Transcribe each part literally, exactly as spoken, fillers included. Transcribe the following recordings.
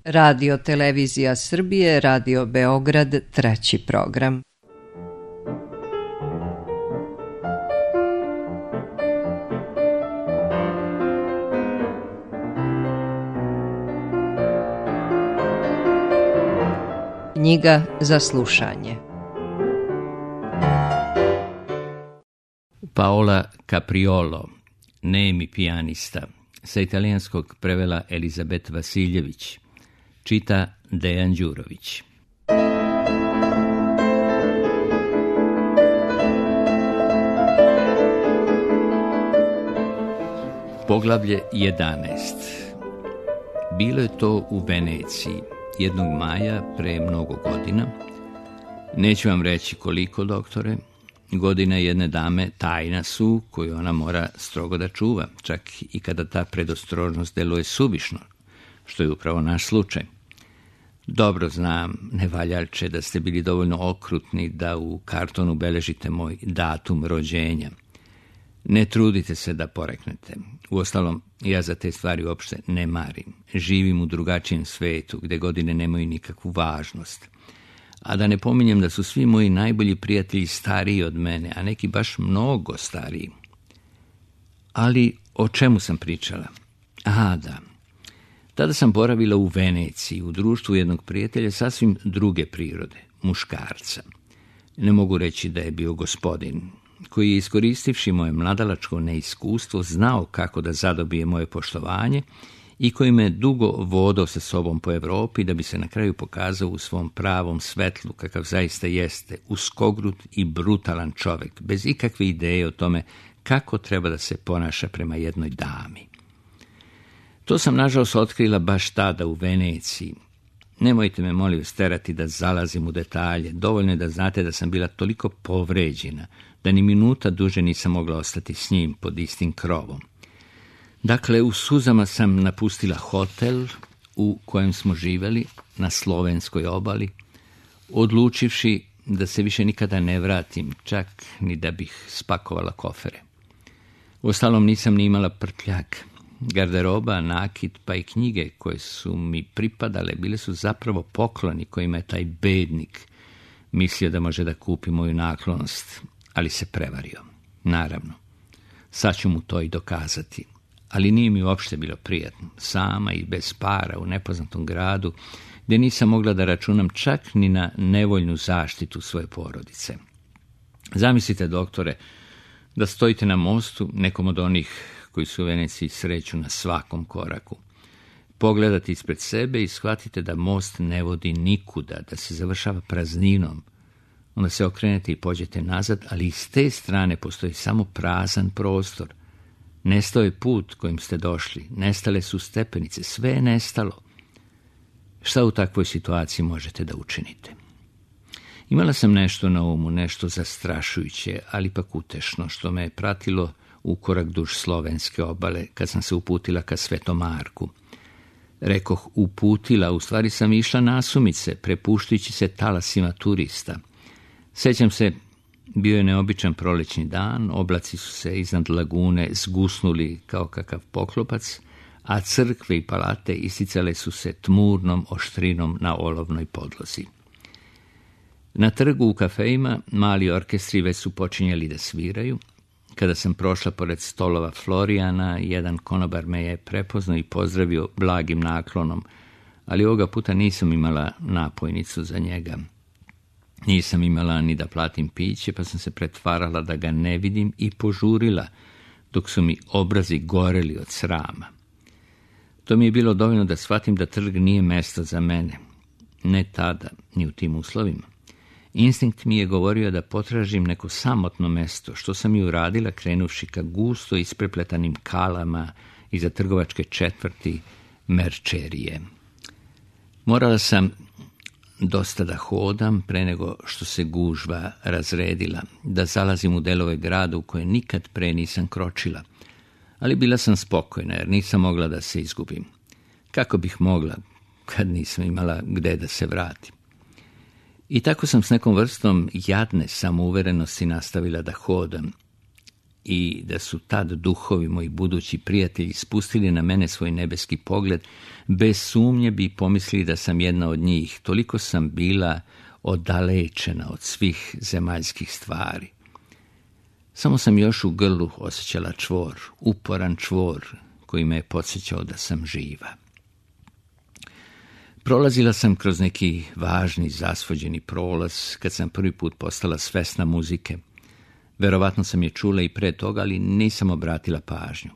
Radio Televizija Srbije, Radio Beograd, treći program. Knjiga za slušanje. Paola Capriolo, nemi pijanista, sa italijanskog prevela Elizabet Vasiljević, čita Dejan Đurović. Poglavlje jedanaest. Bilo je to u Veneciji, jednog maja pre mnogo godina. Neću vam reći koliko, doktore. Godine jedne dame tajna su koju ona mora strogo da čuva, čak i kada ta predostrožnost deluje suvišno, što je upravo naš slučaj. Dobro znam, nevaljalče, da ste bili dovoljno okrutni da u kartonu beležite moj datum rođenja. Ne trudite se da poreknete. Uostalom, ja za te stvari uopšte ne marim. Živim u drugačijem svetu, gde godine nemaju nikakvu važnost. A da ne pominjem da su svi moji najbolji prijatelji stariji od mene, a neki baš mnogo stariji. Ali o čemu sam pričala? Aha, da. Tada sam boravila u Veneciji, u društvu jednog prijatelja sasvim druge prirode, muškarca. Ne mogu reći da je bio gospodin, koji je, iskoristivši moje mladalačko neiskustvo, znao kako da zadobije moje poštovanje i koji me dugo vodao sa sobom po Evropi da bi se na kraju pokazao u svom pravom svetlu, kakav zaista jeste, uskogrut i brutalan čovjek, bez ikakve ideje o tome kako treba da se ponaša prema jednoj dami. To sam nažalost otkrila baš tada u Veneciji. Nemojte me, molim vas, terati da zalazim u detalje. Dovoljno je da znate da sam bila toliko povređena da ni minuta duže nisam mogla ostati s njim pod istim krovom. Dakle, u suzama sam napustila hotel u kojem smo živjeli na slovenskoj obali, odlučivši da se više nikada ne vratim, čak ni da bih spakovala kofere. Uostalom nisam ni imala prtljak. Garderoba, nakit, pa i knjige koje su mi pripadale bile su zapravo pokloni kojima je taj bednik mislio da može da kupi moju naklonost, ali se prevario. Naravno, sad ću mu to i dokazati. Ali nije mi uopšte bilo prijatno, sama i bez para u nepoznatom gradu, gdje nisam mogla da računam čak ni na nevoljnu zaštitu svoje porodice. Zamislite, doktore, da stojite na mostu, nekom od onih koji su u Veneciji sreću na svakom koraku. Pogledate ispred sebe i shvatite da most ne vodi nikuda, da se završava prazninom. Onda se okrenete i pođete nazad, ali iz te strane postoji samo prazan prostor. Nestao je put kojim ste došli, nestale su stepenice, sve je nestalo. Šta u takvoj situaciji možete da učinite? Imala sam nešto na umu, nešto zastrašujuće, ali ipak utešno, što me je pratilo u korak duž slovenske obale, kad sam se uputila ka Svetom Marku. Rekoh uputila, u stvari sam išla nasumice, prepuštajući se talasima turista. Sećam se, bio je neobičan prolećni dan, oblaci su se iznad lagune zgusnuli kao kakav poklopac, a crkve i palate isticale su se tmurnom oštrinom na olovnoj podlozi. Na trgu u kafejima mali orkestri već su počinjali da sviraju. Kada sam prošla pored stolova Florijana, jedan konobar me je prepoznao i pozdravio blagim naklonom, ali ovoga puta nisam imala napojnicu za njega. Nisam imala ni da platim piće, pa sam se pretvarala da ga ne vidim i požurila, dok su mi obrazi goreli od srama. To mi je bilo dovoljno da shvatim da trg nije mesto za mene. Ne tada, ni u tim uslovima. Instinkt mi je govorio da potražim neko samotno mesto, što sam i uradila krenuvši ka gusto isprepletanim kalama iza trgovačke četvrti Merčerije. Morala sam dosta da hodam pre nego što se gužva razredila, da zalazim u delove grada u koje nikad pre nisam kročila, ali bila sam spokojna jer nisam mogla da se izgubim. Kako bih mogla kad nisam imala gde da se vratim? I tako sam s nekom vrstom jadne samouverenosti nastavila da hodam. i da su tad duhovi, moji budući prijatelji, spustili na mene svoj nebeski pogled, bez sumnje bi pomislili da sam jedna od njih. Toliko sam bila odalečena od svih zemaljskih stvari. Samo sam još u grlu osjećala čvor, uporan čvor koji me je podsjećao da sam živa. Prolazila sam kroz neki važni, zasvođeni prolaz kad sam prvi put postala svesna muzike. Verovatno sam je čula i pre toga, ali nisam obratila pažnju.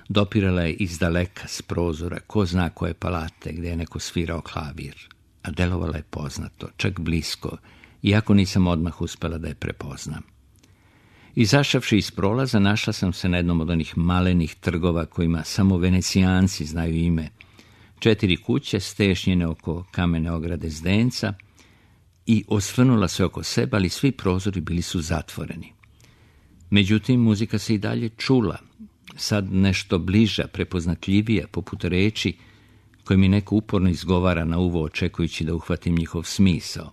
Dopirala je iz daleka s prozora, ko zna koje palate gdje je neko svirao klavir, a delovala je poznato, čak blisko, iako nisam odmah uspela da je prepoznam. Izašavši iz prolaza, našla sam se na jednom od onih malenih trgova kojima samo Venecijanci znaju ime. Četiri kuće stešnjene oko kamene ograde zdenca i osvrnula se oko sebe, ali svi prozori bili su zatvoreni. Međutim, muzika se i dalje čula, sad nešto bliža, prepoznatljivija, poput reči koje mi neko uporno izgovara na uvo, očekujući da uhvatim njihov smisao.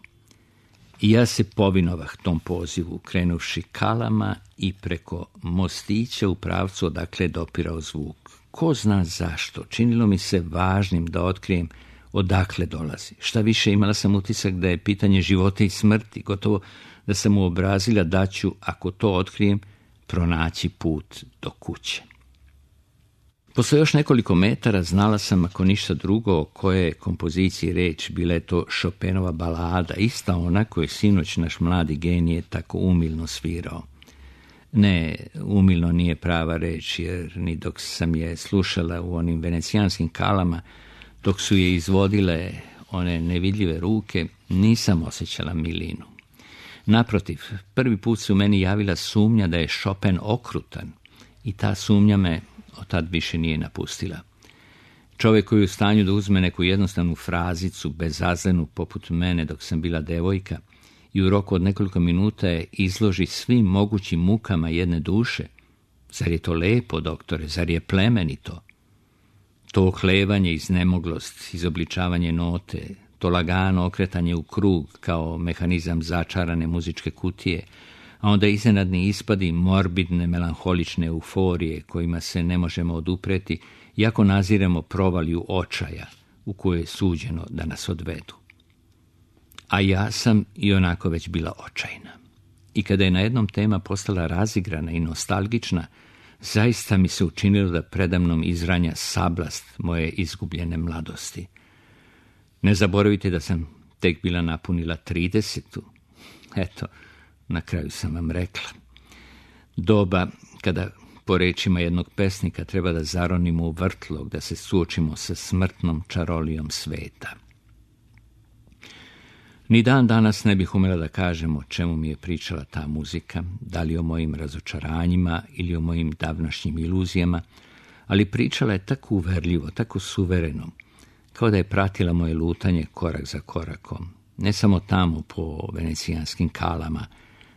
I ja se povinovah tom pozivu, krenuvši kalama i preko mostića u pravcu odakle je dopirao zvuk. Ko zna zašto, činilo mi se važnim da otkrijem odakle dolazi. Šta više, imala sam utisak da je pitanje života i smrti, gotovo da sam uobrazila da ću, ako to otkrijem, pronaći put do kuće. Posle još nekoliko metara znala sam, ako ništa drugo, o koje kompoziciji reč, bila je to Chopinova balada, ista ona koju je sinoć naš mladi genije tako umilno svirao. Ne, umilno nije prava reč, jer ni dok sam je slušala u onim venecijanskim kalama, dok su je izvodile one nevidljive ruke, nisam osjećala milinu. Naprotiv, prvi put se u meni javila sumnja da je Chopin okrutan i ta sumnja me od tad više nije napustila. Čovjek koji je u stanju da uzme neku jednostavnu frazicu, bezazlenu poput mene dok sam bila devojka, i u roku od nekoliko minuta je izloži svim mogućim mukama jedne duše. Zar je to lepo, doktore? Zar je plemenito? To oklevanje, iznemoglost, izobličavanje note, to lagano okretanje u krug kao mehanizam začarane muzičke kutije, a onda iznenadni ispadi morbidne, melanholične euforije kojima se ne možemo odupreti, iako naziremo provaliju očaja u kojoj je suđeno da nas odvedu. A ja sam i onako već bila očajna. I kada je na jednom tema postala razigrana i nostalgična, zaista mi se učinilo da predamnom izranja sablast moje izgubljene mladosti. Ne zaboravite da sam tek bila napunila tridesetu. Eto, na kraju sam vam rekla. Doba kada, po rečima jednog pesnika, treba da zaronimo u vrtlog, da se suočimo sa smrtnom čarolijom sveta. Ni dan danas ne bih umela da kažem o čemu mi je pričala ta muzika, da li o mojim razočaranjima ili o mojim davnašnjim iluzijama, ali pričala je tako uverljivo, tako suvereno, kao da je pratila moje lutanje korak za korakom, ne samo tamo po venecijanskim kalama,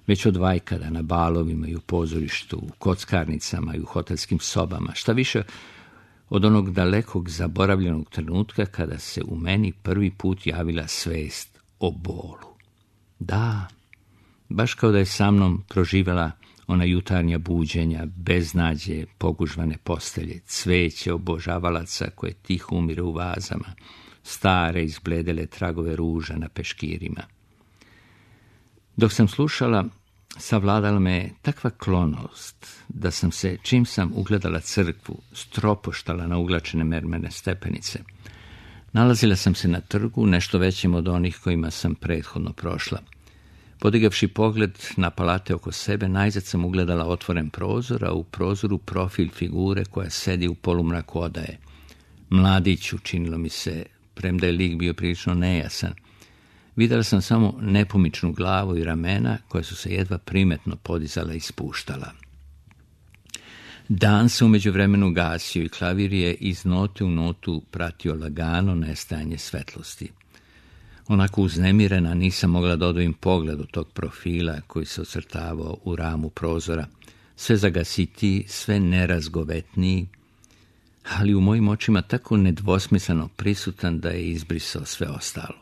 već od vajkada na balovima i u pozorištu, u kockarnicama i u hotelskim sobama, šta više od onog dalekog zaboravljenog trenutka kada se u meni prvi put javila svest o bolu. Da, baš kao da je sa mnom proživjela ona jutarnja buđenja, beznađe, pogužvane postelje, cveće obožavalaca koje tiho umire u vazama, stare izbledele tragove ruža na peškirima. Dok sam slušala, savladala me takva klonost da sam se, čim sam ugledala crkvu, stropoštala na uglačene mermerne stepenice. Nalazila sam se na trgu, nešto većim od onih kojima sam prethodno prošla. Podigavši pogled na palate oko sebe, najzad sam ugledala otvoren prozor, a u prozoru profil figure koja sedi u polumraku odaje. Mladić, učinilo mi se, premda je lik bio prilično nejasan. Vidjela sam samo nepomičnu glavu i ramena koja su se jedva primetno podizala i spuštala. Dan se u međuvremenu gasio i klavir je iz note u notu pratio lagano nestajanje svetlosti. Onako uznemirena nisam mogla da odvojim pogled od tog profila koji se ocrtavao u ramu prozora, sve zagasitiji, sve nerazgovetniji, ali u mojim očima tako nedvosmisleno prisutan da je izbrisao sve ostalo.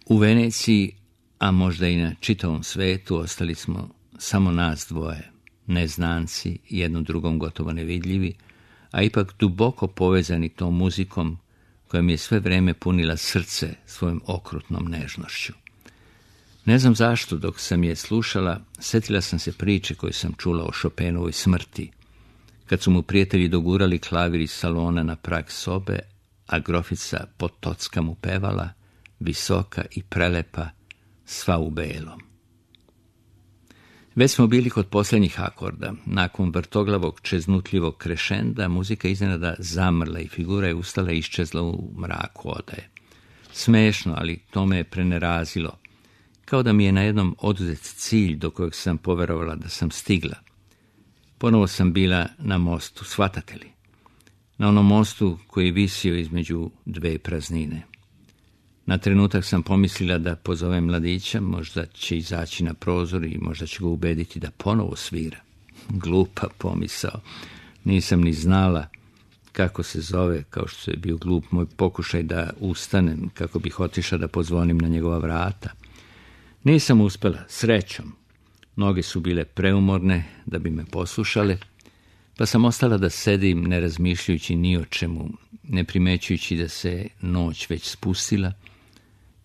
U Veneciji, a možda i na čitavom svetu, ostali smo samo nas dvoje, neznanci, jedno drugom gotovo nevidljivi, a ipak duboko povezani tom muzikom koja mi je sve vreme punila srce svojom okrutnom nežnošću. Ne znam zašto, dok sam je slušala, sjetila sam se priče koju sam čula o Chopinovoj smrti, kad su mu prijatelji dogurali klavir iz salona na prag sobe, a grofica Potocka mu pevala, visoka i prelepa, sva u belom. Već smo bili kod posljednjih akorda. Nakon vrtoglavog čeznutljivog krešenda, muzika iznenada zamrla i figura je ustala i iščezla u mraku odaje. Smešno, ali to me je prenerazilo, kao da mi je na jednom oduzet cilj do kojeg sam poverovala da sam stigla. Ponovo sam bila na mostu, shvatate li? Na onom mostu koji je visio između dve praznine. Na trenutak sam pomislila da pozovem mladića, možda će izaći na prozor i možda će ga ubediti da ponovo svira. Glupa pomisao. Nisam ni znala kako se zove, kao što je bio glup moj pokušaj da ustanem, kako bih otišla da pozvonim na njegova vrata. Nisam uspela, srećom. Noge su bile preumorne da bi me poslušale, pa sam ostala da sedim ne razmišljajući ni o čemu, ne primećujući da se noć već spustila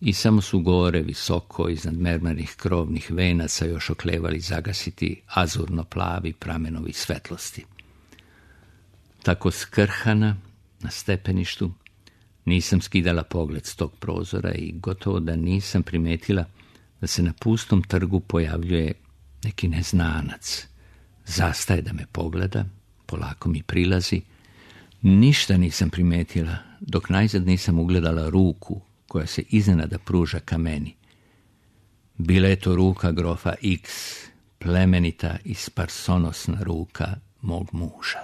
i samo su gore visoko iznad mermernih krovnih venaca još oklevali zagasiti azurno plavi pramenovi svetlosti. Tako skrhana na stepeništu nisam skidala pogled s tog prozora i gotovo da nisam primetila da se na pustom trgu pojavljuje neki neznanac. Zastaje da me pogleda, polako mi prilazi. Ništa nisam primetila, dok najzad nisam ugledala ruku koja se iznenada pruža ka meni. Bila je to ruka grofa X, plemenita i sparsonosna ruka mog muža.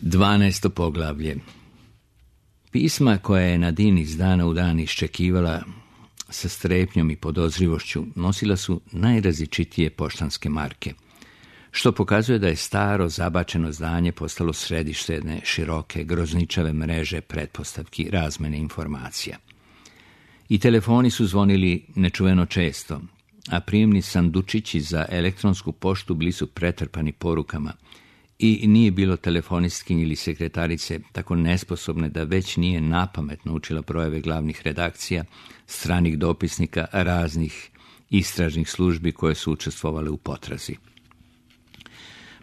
Dvanaesto poglavlje. Pisma koja je Nadine iz dana u dan iščekivala sa strepnjom i podozrivošću nosila su najrazličitije poštanske marke, što pokazuje da je staro zabačeno zdanje postalo središte jedne široke, grozničave mreže pretpostavki razmene informacija. I telefoni su zvonili nečuveno često, a prijemni sandučići za elektronsku poštu bili su pretrpani porukama i nije bilo telefonistkinje ili sekretarice tako nesposobne da već nije napamet naučila brojeve glavnih redakcija, stranih dopisnika, raznih istražnih službi koje su učestvovale u potrazi.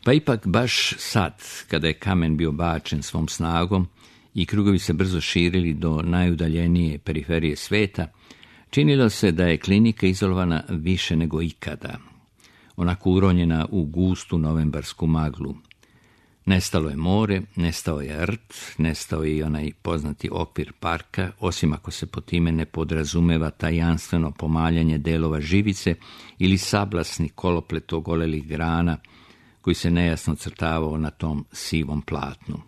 Pa ipak baš sad, kada je kamen bio bačen svom snagom i krugovi se brzo širili do najudaljenije periferije sveta, činilo se da je klinika izolovana više nego ikada, onako uronjena u gustu novembarsku maglu. Nestalo je more, nestao je rt, nestao je i onaj poznati okvir parka, osim ako se po time ne podrazumeva tajanstveno pomaljanje delova živice ili sablasni koloplet ogolelih grana koji se nejasno crtavao na tom sivom platnu.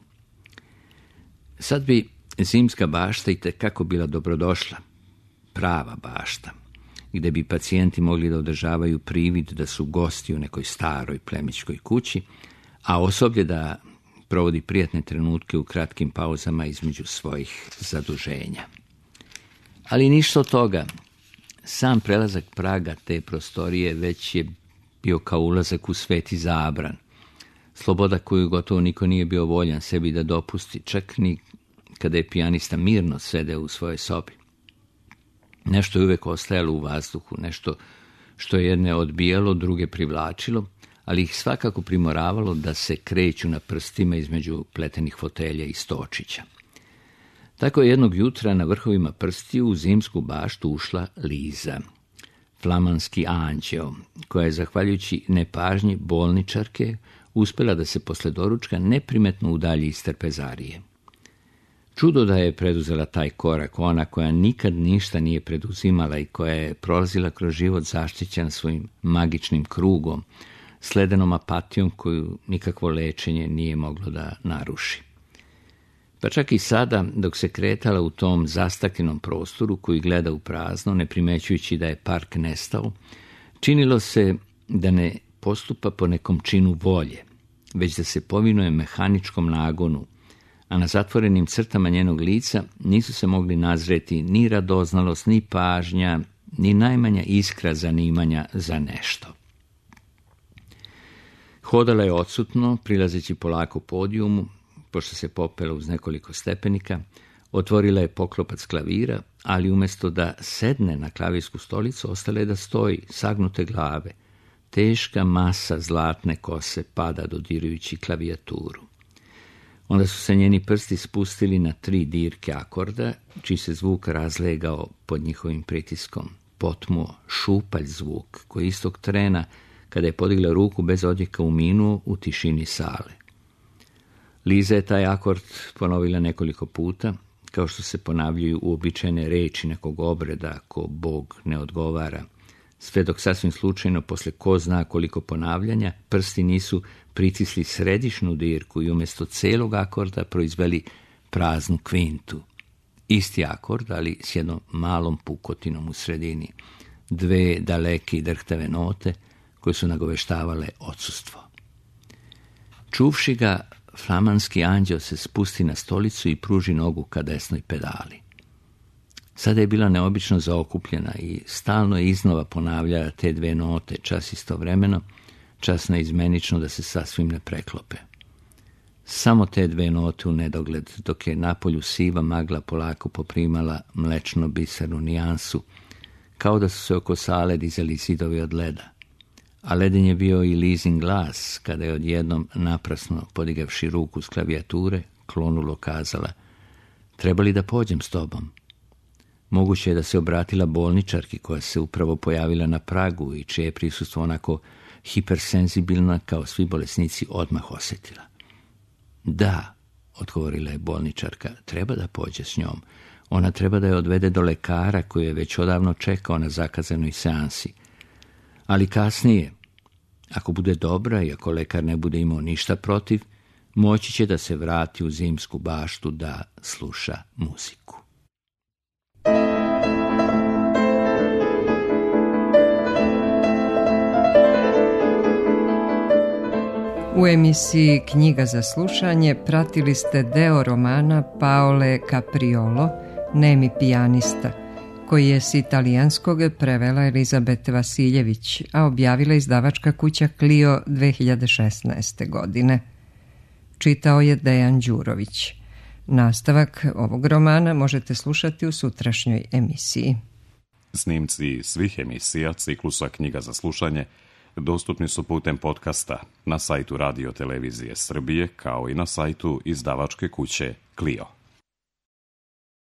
Sad bi zimska bašta i tekako bila dobrodošla, prava bašta, gdje bi pacijenti mogli da održavaju privid da su gosti u nekoj staroj plemićkoj kući, a osoblje da provodi prijatne trenutke u kratkim pauzama između svojih zaduženja. Ali ništa od toga. Sam prelazak praga te prostorije već je bio kao ulazak u sveti zabran. Sloboda koju gotovo niko nije bio voljan sebi da dopusti, čak ni kada je pijanista mirno sedeo u svojoj sobi. Nešto je uvek ostajalo u vazduhu, nešto što je jedne odbijalo, druge privlačilo, ali ih svakako primoravalo da se kreću na prstima između pletenih fotelja i stočića. Tako je jednog jutra na vrhovima prstiju u zimsku baštu ušla Liza, flamanski anđeo, koja je, zahvaljujući nepažnji bolničarke, uspjela da se posle doručka neprimetno udalji iz trpezarije. Čudo da je preduzela taj korak, ona koja nikad ništa nije preduzimala i koja je prolazila kroz život zaštićena svojim magičnim krugom, sledenom apatijom koju nikakvo lečenje nije moglo da naruši. Pa čak i sada, dok se kretala u tom zastaklenom prostoru koji gleda u prazno, ne primećujući da je park nestao, činilo se da ne postupa po nekom činu volje, već da se povinuje mehaničkom nagonu, a na zatvorenim crtama njenog lica nisu se mogli nazreti ni radoznalost, ni pažnja, ni najmanja iskra zanimanja za nešto. Hodala je odsutno, prilazeći polako podijumu, pošto se popela uz nekoliko stepenika, otvorila je poklopac klavira, ali umjesto da sedne na klavirsku stolicu, ostala je da stoji, sagnute glave. Teška masa zlatne kose pada dodirujući klavijaturu. Onda su se njeni prsti spustili na tri dirke akorda, čiji se zvuk razlegao pod njihovim pritiskom. Potmuo, šupalj zvuk, koji istog trena, kada je podigla ruku bez odjeka, uminuo u tišini sale. Liza je taj akord ponovila nekoliko puta, kao što se ponavljaju uobičajene reči nekog obreda ako Bog ne odgovara, sve dok sasvim slučajno, posle ko zna koliko ponavljanja, prsti nisu pritisli središnju dirku i umjesto celog akorda proizveli praznu kvintu. Isti akord, ali s jednom malom pukotinom u sredini. Dve daleke i drhtave note koje su nagoveštavale odsustvo. Čuvši ga, flamanski anđeo se spusti na stolicu i pruži nogu ka desnoj pedali. Sada je bila neobično zaokupljena i stalno je iznova ponavljala te dve note, čas istovremeno, čas neizmenično da se sasvim ne preklope. Samo te dve note u nedogled, dok je napolju siva magla polako poprimala mlečno bisernu nijansu, kao da su se oko sale dizali zidovi od leda. A leden je bio i Lizin glas, kada je odjednom naprasno, podigavši ruku s klavijature, klonulo kazala: "Treba li da pođem s tobom?" Moguće je da se obratila bolničarki koja se upravo pojavila na pragu i čije je prisustvo onako hipersenzibilna kao svi bolesnici odmah osjetila. "Da," odgovorila je bolničarka, "treba da pođe s njom. Ona treba da je odvede do lekara koji je već odavno čekao na zakazanoj seansi. Ali kasnije, ako bude dobra i ako lekar ne bude imao ništa protiv, moći će da se vrati u zimsku baštu da sluša muziku." U emisiji Knjiga za slušanje pratili ste deo romana Paole Capriolo, Nemi pijanista, koji je s italijanskog prevela Elizabete Vasiljević, a objavila izdavačka kuća Clio dve hiljade šesnaeste. godine. Čitao je Dejan Đurović. Nastavak ovog romana možete slušati u sutrašnjoj emisiji. Snimci svih emisija ciklusa Knjiga za slušanje dostupni su putem podcasta na sajtu Radio Televizije Srbije, kao i na sajtu izdavačke kuće Clio.